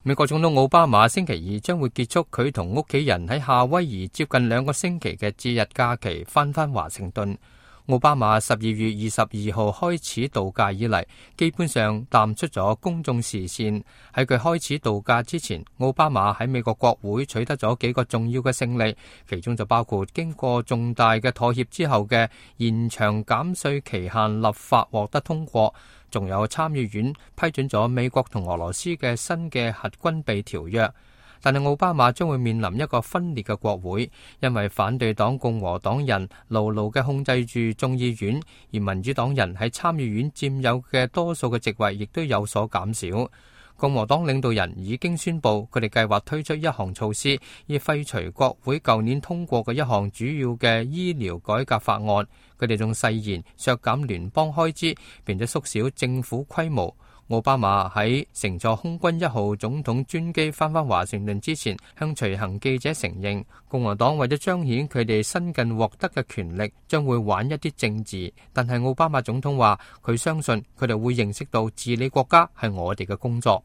美國總統奧巴馬星期二將會結束佢同屋企人喺夏威夷接近2個星期嘅節日假期，返華盛頓。奧巴馬12月22號開始度假以嚟，基本上淡出咗公眾視線。喺佢開始度假之前，奧巴馬喺美國國會取得咗幾個重要嘅勝利，其中就包括經過重大嘅妥協之後嘅延長減稅期限立法獲得通過，仲有參議院批准咗美國同俄羅斯嘅新嘅核軍備條約。但係奧巴馬將會面臨一個分裂嘅國會，因為反對黨共和黨人牢牢嘅控制住眾議院，而民主黨人喺參議院佔有嘅多數嘅席位亦都有所減少。共和黨領導人已經宣布，佢哋計劃推出一項措施，以廢除國會舊年通過嘅一項主要嘅醫療改革法案。佢哋仲誓言削減聯邦開支，並且縮小政府規模。奧巴馬喺乘坐空軍1號總統專機返華盛頓之前，向隨行記者承認，共和黨為咗彰顯佢哋新近獲得嘅權力，將會玩一啲政治。但係奧巴馬總統話，佢相信佢哋會認識到治理國家係我哋嘅工作。